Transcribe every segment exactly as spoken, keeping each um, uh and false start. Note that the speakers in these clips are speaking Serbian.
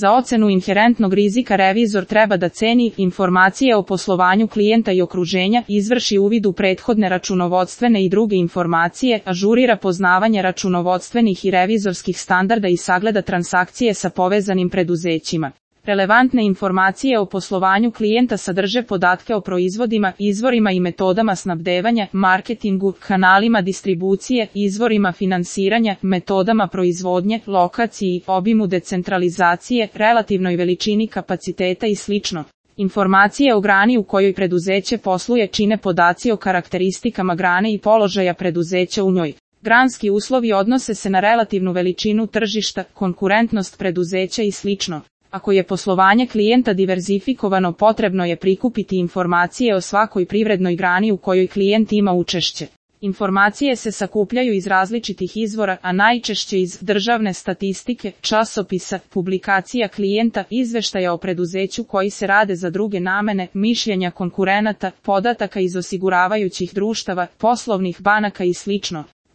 Za ocenu inherentnog rizika revizor treba da ceni informacije o poslovanju klijenta i okruženja, izvrši uvid u prethodne računovodstvene i druge informacije, ažurira poznavanje računovodstvenih i revizorskih standarda i sagleda transakcije sa povezanim preduzećima. Relevantne informacije o poslovanju klijenta sadrže podatke o proizvodima, izvorima i metodama snabdevanja, marketingu, kanalima distribucije, izvorima finansiranja, metodama proizvodnje, lokaciji, obimu decentralizacije, relativnoj veličini kapaciteta i sl. Informacije o grani u kojoj preduzeće posluje čine podaci o karakteristikama grane i položaja preduzeća u njoj. Granski uslovi odnose se na relativnu veličinu tržišta, konkurentnost preduzeća i sl. Ako je poslovanje klijenta diverzifikovano, potrebno je prikupiti informacije o svakoj privrednoj grani u kojoj klijent ima učešće. Informacije se sakupljaju iz različitih izvora, a najčešće iz državne statistike, časopisa, publikacija klijenta, izveštaja o preduzeću koji se rade za druge namene, mišljenja konkurenata, podataka iz osiguravajućih društava, poslovnih banaka i sl.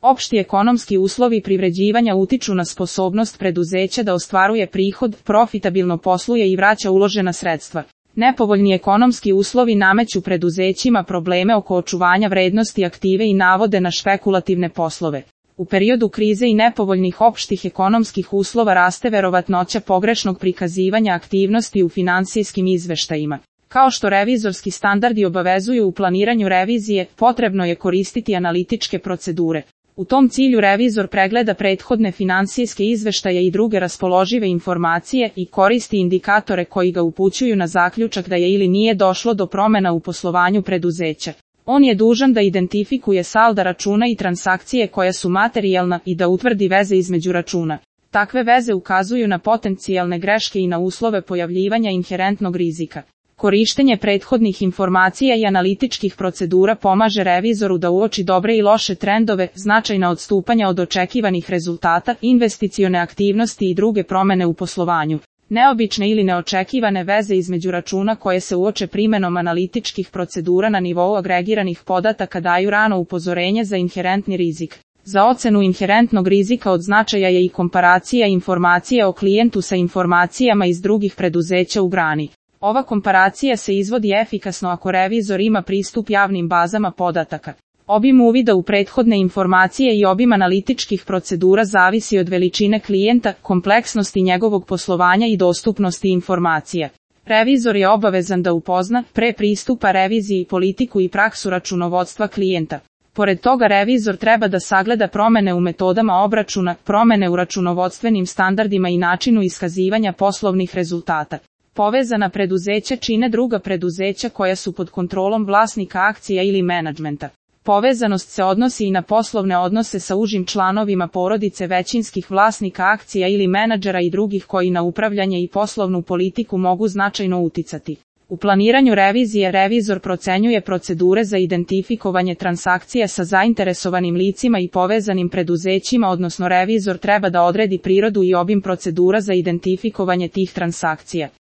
Opšti ekonomski uslovi privređivanja utiču na sposobnost preduzeća da ostvaruje prihod, profitabilno posluje i vraća uložena sredstva. Nepovoljni ekonomski uslovi nameću preduzećima probleme oko očuvanja vrednosti aktive i navode na špekulativne poslove. U periodu krize i nepovoljnih opštih ekonomskih uslova raste verovatnoća pogrešnog prikazivanja aktivnosti u finansijskim izveštajima. Kao što revizorski standardi obavezuju u planiranju revizije, potrebno je koristiti analitičke procedure. U tom cilju revizor pregleda prethodne finansijske izveštaje i druge raspoložive informacije i koristi indikatore koji ga upućuju na zaključak da je ili nije došlo do promjena u poslovanju preduzeća. On je dužan da identifikuje salda računa i transakcije koja su materijalna i da utvrdi veze između računa. Takve veze ukazuju na potencijalne greške i na uslove pojavljivanja inherentnog rizika. Korištenje prethodnih informacija i analitičkih procedura pomaže revizoru da uoči dobre i loše trendove, značajna odstupanja od očekivanih rezultata, investicione aktivnosti i druge promjene u poslovanju. Neobične ili neočekivane veze između računa koje se uoče primenom analitičkih procedura na nivou agregiranih podataka daju rano upozorenje za inherentni rizik. Za ocenu inherentnog rizika od značaja je i komparacija informacija o klijentu sa informacijama iz drugih preduzeća u grani. Ova komparacija se izvodi efikasno ako revizor ima pristup javnim bazama podataka. Obim uvida u prethodne informacije i obim analitičkih procedura zavisi od veličine klijenta, kompleksnosti njegovog poslovanja i dostupnosti informacija. Revizor je obavezan da upozna, pre pristupa reviziji, politiku i praksu računovodstva klijenta. Pored toga revizor treba da sagleda promjene u metodama obračuna, promjene u računovodstvenim standardima i načinu iskazivanja poslovnih rezultata. Povezana preduzeća čine druga preduzeća koja su pod kontrolom vlasnika akcija ili menadžmenta. Povezanost se odnosi i na poslovne odnose sa užim članovima porodice većinskih vlasnika akcija ili menadžera i drugih koji na upravljanje i poslovnu politiku mogu značajno uticati. U planiranju revizije revizor procenjuje procedure za identifikovanje transakcija sa zainteresovanim licima i povezanim preduzećima, odnosno revizor treba da odredi prirodu i obim procedura za identifikovanje tih transakcija.